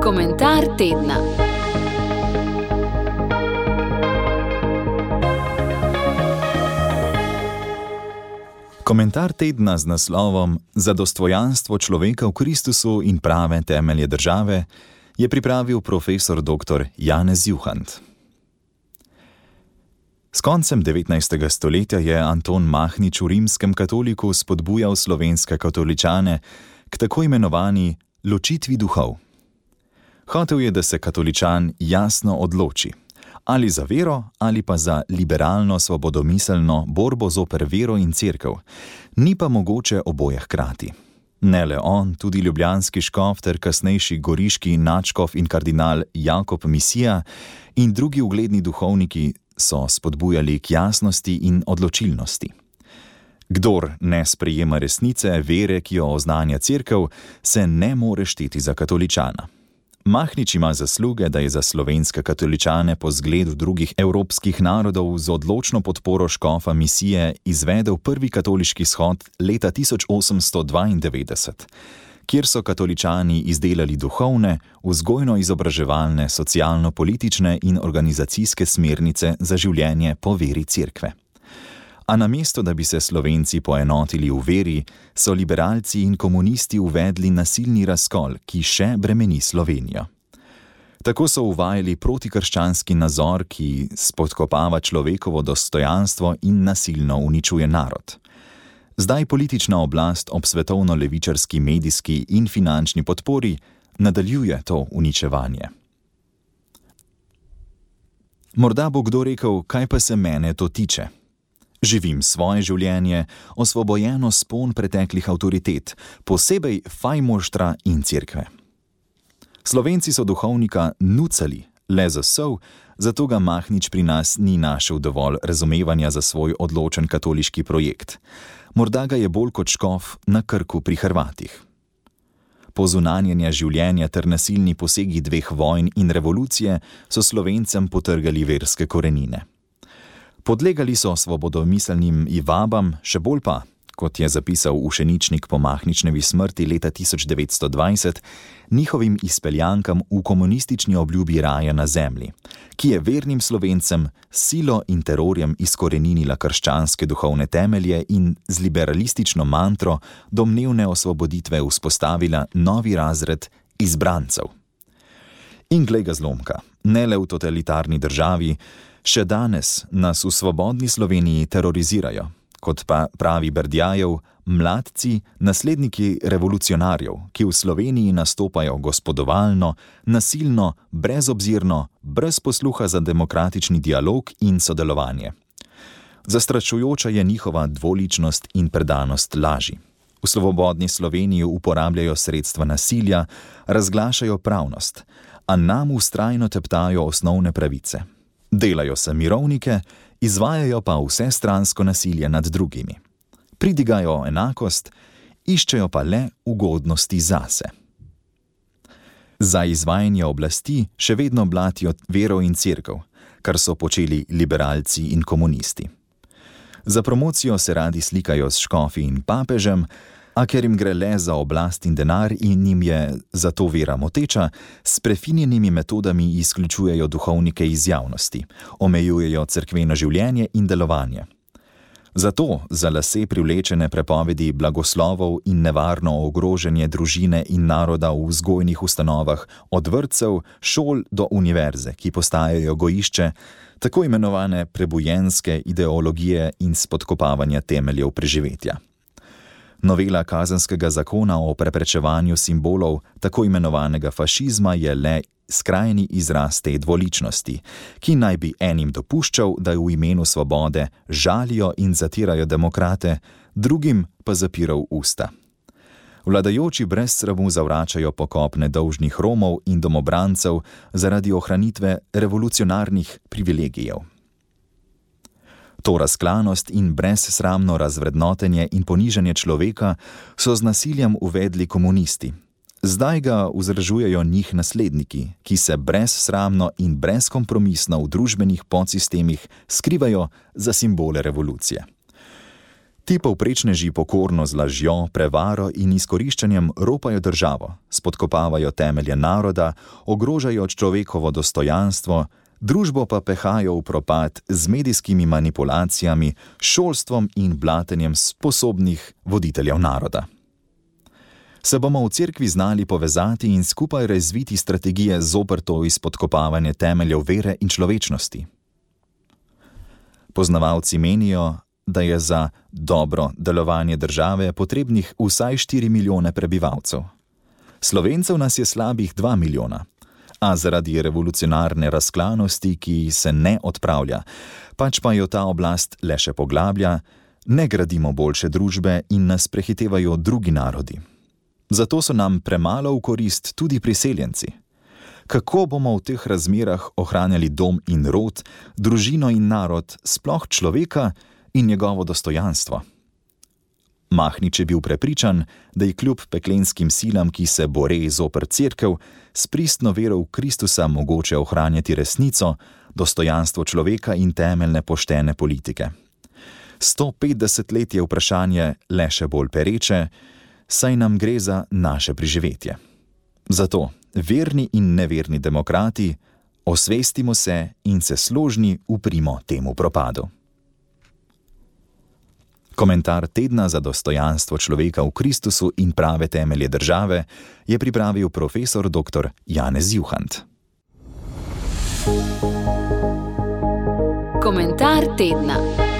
Komentar tedna. Komentar tedna z naslovom Za dostojanstvo človeka v Kristusu in prave temelje države je pripravil profesor dr. Janez Juhant. S koncem 19. stoletja je Anton Mahnič v Rimskem katoliku spodbujal slovenske katoličane k tako imenovani ločitvi duhov. Hotel je, da se katoličan jasno odloči, ali za vero ali pa za liberalno svobodomiselno borbo zoper vero in cerkev, ni pa mogoče oboje hkrati. Ne le on, tudi ljubljanski škof ter kasnejši goriški nadškof in kardinal Jakob Misija in drugi ugledni duhovniki so spodbujali k jasnosti in odločilnosti. Kdor ne sprejema resnice, vere, ki jo oznanja cerkev, se ne more šteti za katoličana. Mahnič ima zasluge, da je za slovenske katoličane po zgledu drugih evropskih narodov z odločno podporo škofa Misije izvedel prvi katoliški shod leta 1892, kjer so katoličani izdelali duhovne, vzgojno-izobraževalne, socialno-politične in organizacijske smernice za življenje po veri cerkve. A namesto, da bi se Slovenci poenotili v veri, so liberalci in komunisti uvedli nasilni razkol, ki še bremeni Slovenijo. Tako so uvajali protikrščanski nazor, ki spodkopava človekovo dostojanstvo in nasilno uničuje narod. Zdaj politična oblast ob svetovno-levičarski medijski in finančni podpori nadaljuje to uničevanje. Morda bo kdo rekel, kaj pa se mene to tiče? Živim svoje življenje, osvobojeno spon preteklih avtoritet, posebej fajmoštra in cerkve. Slovenci so duhovnika nucali, le za sol, zato ga Mahnič pri nas ni našel dovolj razumevanja za svoj odločen katoliški projekt. Morda ga je bolj kot škof na Krku pri Hrvatih. Pozunanjenja življenja ter nasilni posegi dveh vojn in revolucije so Slovencem potrgali verske korenine. Podlegali so svobodomiselnim vabam, še bolj pa, kot je zapisal ušeničnik po Mahničnevi smrti leta 1920, njihovim izpeljankam v komunistični obljubi raja na zemlji, ki je vernim Slovencem silo in terorjem izkoreninila krščanske duhovne temelje in z liberalistično mantro domnevne osvoboditve vzpostavila novi razred izbrancev. In glej ga zlomka, ne le v totalitarni državi, še danes nas v svobodni Sloveniji terorizirajo, kot pa pravi Berdjajev, mladci, nasledniki revolucionarjev, ki v Sloveniji nastopajo gospodovalno, nasilno, brezobzirno, brez posluha za demokratični dialog in sodelovanje. Zastrašujoča je njihova dvoličnost in predanost laži. V svobodni Sloveniji uporabljajo sredstva nasilja, razglašajo pravnost, a nam vztrajno teptajo osnovne pravice. Delajo se mirovnike, izvajajo pa vsestransko nasilje nad drugimi. Pridigajo enakost, iščejo pa le ugodnosti zase. Za izvajanje oblasti še vedno blatijo vero in cerkev, kar so počeli liberalci in komunisti. Za promocijo se radi slikajo s škofi in papežem, a ker jim gre le za oblast in denar in jim je zato vera moteča, s prefinjenimi metodami izključujejo duhovnike iz javnosti, omejujejo cerkveno življenje in delovanje. Zato za lase privlečene prepovedi blagoslovov in nevarno ogrožanje družine in naroda v vzgojnih ustanovah od vrtcev, šol do univerze, ki postajajo gojišče, tako imenovane prebujenske ideologije in spodkopavanja temeljev preživetja. Novela kazenskega zakona o preprečevanju simbolov tako imenovanega fašizma je le skrajni izraz te dvoličnosti, ki naj bi enim dopuščal, da v imenu svobode žalijo in zatirajo demokrate, drugim pa zapiral usta. Vladajoči brez sramu zavračajo pokop nedolžnih Romov in domobrancev zaradi ohranitve revolucionarnih privilegijev. To razklanost in brezsramno razvrednotenje in ponižanje človeka so z nasiljem uvedli komunisti. Zdaj ga vzdržujejo njih nasledniki, ki se brezsramno in brezkompromisno v družbenih podsistemih skrivajo za simbole revolucije. Ti povprečneži pokorno z lažjo, prevaro in izkoriščanjem ropajo državo, spodkopavajo temelje naroda, ogrožajo človekovo dostojanstvo, družbo pa pehajo v propad z medijskimi manipulacijami, šolstvom in blatenjem sposobnih voditeljev naroda. Se bomo v cerkvi znali povezati in skupaj razviti strategije zoper to izpodkopavanje temeljev vere in človečnosti? Poznavalci menijo, da je za dobro delovanje države potrebnih vsaj 4 milijone prebivalcev. Slovencev nas je slabih 2 milijona, a zaradi revolucionarne razklanosti, ki se ne odpravlja, pač pa jo ta oblast le še poglablja, ne gradimo boljše družbe in nas prehitevajo drugi narodi. Zato so nam premalo v korist tudi priseljenci. Kako bomo v teh razmerah ohranjali dom in rod, družino in narod, sploh človeka in njegovo dostojanstvo? Mahnič je bil prepričan, da je kljub peklenskim silam, ki se bore zoper cerkev, s pristno vero v Kristusa mogoče ohranjati resnico, dostojanstvo človeka in temeljne poštene politike. 150 let je vprašanje le še bolj pereče, saj nam gre za naše preživetje. Zato, verni in neverni demokrati, osvestimo se in se složni uprimo temu propadu. Komentar tedna za dostojanstvo človeka v Kristusu in prave temelje države je pripravil profesor dr. Janez Juhant. Komentar tedna.